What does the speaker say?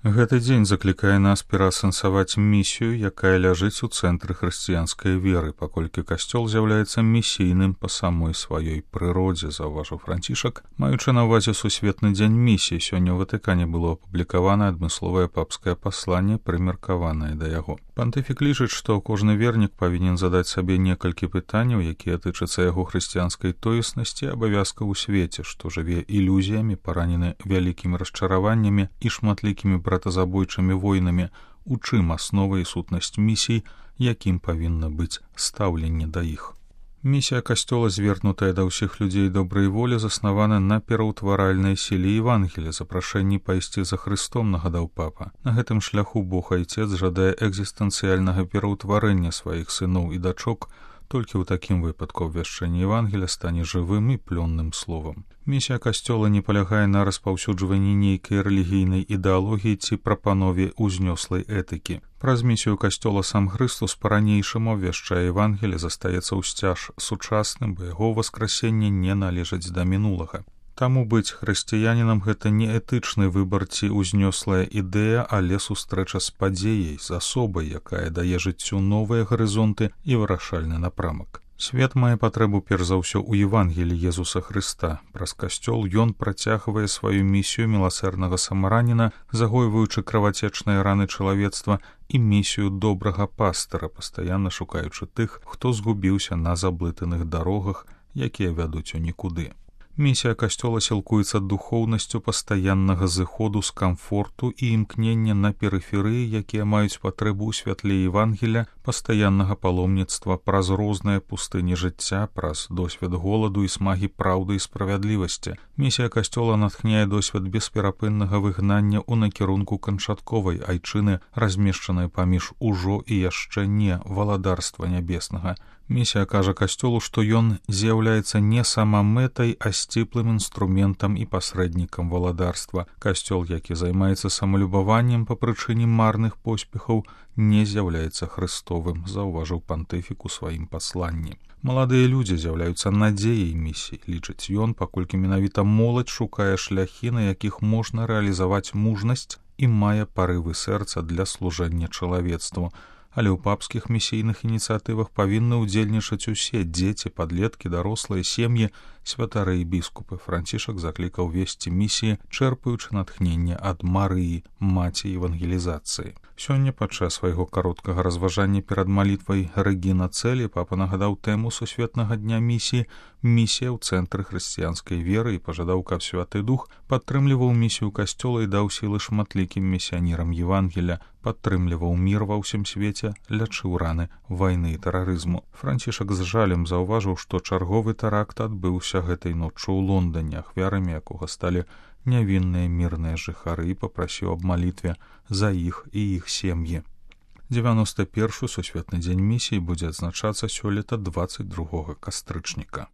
Гэты дзень заклікае нас пераасэнсаваць місію, якая ляжыць у цэнтры хрысціянскай веры, паколькі касцёл з'яўляецца місійным па самой сваёй прыродзе, заўважыў Францішак. Маючы на ўвазе сусветны дзень місіі, сёння ў Ватыкане было апублікавана адмысловае папскае пасланне, прымеркаванае да яго. Пантыфік лічыць, што кожны вернік павінен задаць сабе некалькі пытанняў, якія тычацца яго хрысціянскай тоеснасці, абавязкаў у свеце, што жыве ілюзіямі, паранены вялікімі расчараваннямі і шматлікімі братазабойчымі войнамі, у чым аснова і сутнасць місій, якім павінна быць стаўленне да іх. Місія касцёла, звернутая да ўсіх людзей добрай волі, заснавана на пераўтваральнай сіле Евангелія, запрашэнні пайсці за Хрыстом, нагадаў папа. На гэтым шляху Бог Айцец жадае экзістэнцыяльнага пераўтварэння сваіх сыноў і дачок, толькі ў такім выпадку абвяшчэнне Евангелія стане жывым і плённым словам. Місія касцёла не палягае на распаўсюджванні нейкай рэлігійнай ідэалогіі ці прапанове ўзнёслай этыкі. Праз місію касцёла сам Хрыстус па-ранейшаму абвяшчае Евангелие, застаецца ўсцяж сучасным, бо яго васкрасенне не належыць да мінулага. Таму быць хрысціянінам гэта не этычны выбар ці ўзнёслая ідэя, але сустрэча з падзеяй, з асобай, якая дае жыццю новыя гарызонты і вырашальны напрамак. Свет мае патрэбу перш за ўсё ў Евангеліі Езуса Хрыста. Праз касцёл ён працягвае сваю місію міласэрнага самараніна, загойваючы кровацечныя раны чалавецтва, і місію добрага пастара, пастаянна шукаючы тых, хто згубіўся на заблытаных дарогах, якія вядуць у нікуды. Місія касцёла сілкуецца духоўнасцю пастаяннага зыходу з камфорту і імкнення на перыферыі, якія маюць патрэбу ў святле Евангелія, пастаяннага паломніцтва праз розныя пустыні жыцця, праз досвед голаду і смагі праўды і справядлівасці. Місія касцёла натхняе досвед бесперапыннага выгнання ў накірунку канчатковай айчыны, размешчанай паміж ужо і яшчэ не валадарства нябеснага. Місія кажа касцёлу, што ён з'яўляецца не самамэтай, а сціплым інструментам і пасрэднікам валадарства. Касцёл, які займаецца самалюбаваннем па прычыне марных поспехаў, не з'яўляецца хрыстовым, заўважыў пантыфік у сваім пасланні. Маладыя людзі з'яўляюцца надзеяй місіі, лічыць ён, паколькі менавіта моладзь шукае шляхі, на якіх можна рэалізаваць мужнасць і мае парывы сэрца для служэння чалавецтву. Але ў папскіх місійных ініцыятывах павінны ўдзельнічаць усе дзеці, падлеткі, дарослыя, сем'і, святары і біскупы. Францішак заклікаў весці місіі, чэрпаючы натхненне ад Марыі, маці евангелізацыі. Сёння падчас свайго кароткага разважання перад малітвай Рэгіна Цэлі папа нагадаў тэму сусветнага дня місіі «Місія ў цэнтры хрысціянскай веры» і пажадаў, каб Святы Дух падтрымліваў місію касцёла і даў сілы шматлікім місіянерам Евангелія, падтрымліваў мір ва ўсім свеце, лячыў раны вайны і тэрарызму. Францішак з жалем заўважыў, што чарговы тэракт адбыўся гэтай ноччу ў Лондане, ахвярамі якога сталі нявінныя мірныя жыхары, і папрасіў аб малітве за іх і іх сем'і. 91-й сусветны дзень місіі будзе адзначацца сёлета 22 кастрычніка.